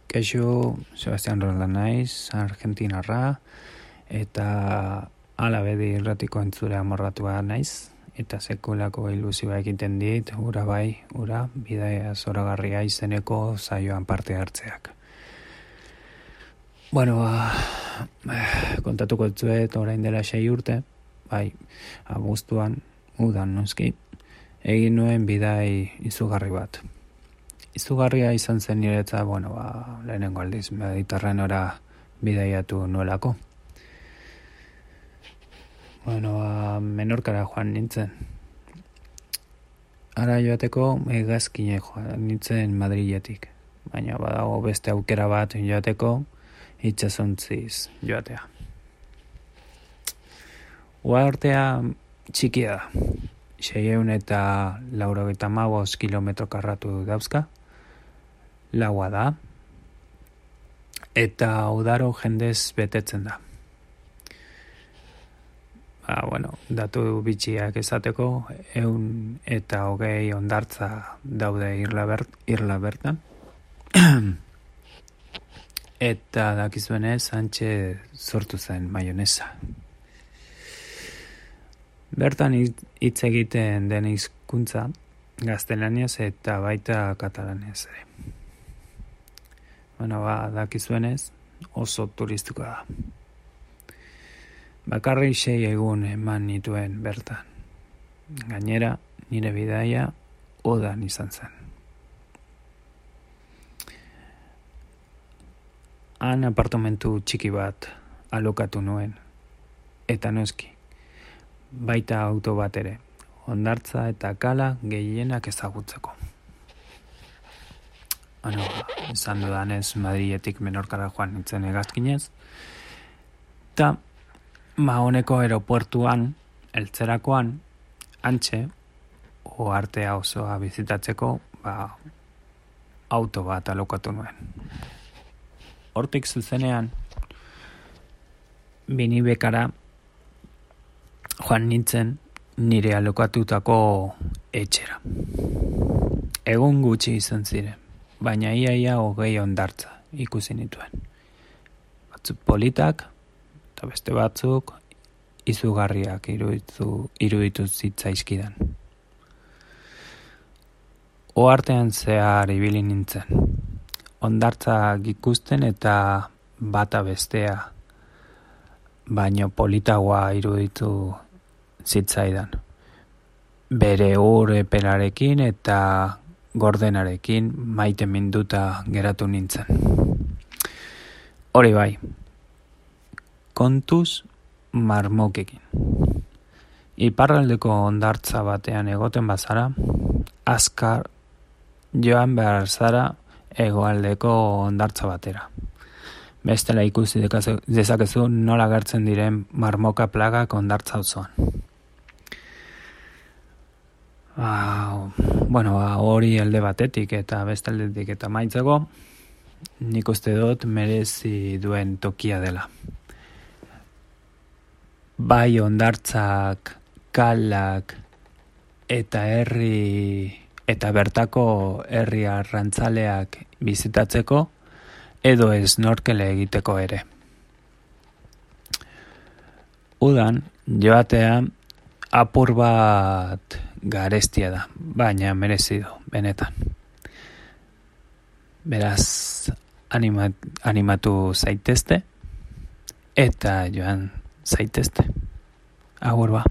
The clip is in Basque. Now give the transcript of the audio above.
Kaixo, Sebastian Roland naiz, argentinarra, eta alabedi irratiko entzure amorratua naiz, eta sekulako ilusioa egiten dit, ura bai, ura, bidaia zoragarria izeneko saioan parte hartzeak. Bueno, kontatuko etzuet orain dela 6 urte, bai, abuztuan, udan noski, egin nuen bidai izugarri bat. Izugarria izan zen niretza, lehenengo aldiz Mediterraneora bidaiatu nuelako. Menorkara joan nintzen. Ara joateko hegazkine joan nintzen Madriletik. Baina badago beste aukera bat joateko itsasontziz joatea. Uhartea txikia da. 695 kilometro karratu dauzka. Laua da. Eta udaro jendez betetzen da. Datu bitxiak esateko, 120 hondartza daude irla bertan. Eta dakizuenez, hantxe sortu zen maionesa. Bertan hitz egiten den hizkuntza gaztelaniaz eta baita katalanez ere. Dakizuenez, oso turistikoa da. Bakarrik 6 egun eman nituen bertan. Gainera, nire bidaia udan izan zen. Han apartamentu txiki bat alokatu nuen, eta noski, baita auto bat ere, hondartza eta kala gehienak ezagutzeko. Esan dudanez Madriletik Menorkara joan nintzen hegazkinez, eta honeko aeropuertuan, eltzerakoan, hantxe, uhartea osoa bizitatzeko, auto bat alokatu nuen. Hortik zuzenean, Binibekara joan nintzen nire alokatutako etxera. Egun gutxi izan ziren, baina ia 20 hondartza ikusi nituen. Batzuk politak, eta beste batzuk izugarriak iruditu zitzaizkidan. Uhartean zehar ibili nintzen. Hondartzak ikusten eta bata bestea, baino politagoa iruditu zitzaidan. Bere epelarekin eta gordenarekin maite minduta geratu nintzen. Hori bai, kontuz marmokekin. Iparraldeko hondartza batean egoten bazara, azkar joan behar zara hegoaldeko hondartza batera. Bestela ikusi dezakezu nola gertzen diren marmoka plagak hondartza osoan. Hori alde batetik eta beste aldetik eta maitzeko, nik uste dut merezi duen tokia dela. Bai hondartzak, kalak eta bertako herri arrantzaleak bizitatzeko edo snorkele egiteko ere. Udan joatea apur bat garestia da, baina merezi du, benetan. Beraz, animatu zaitezte eta joan zaitezte. Agur ba.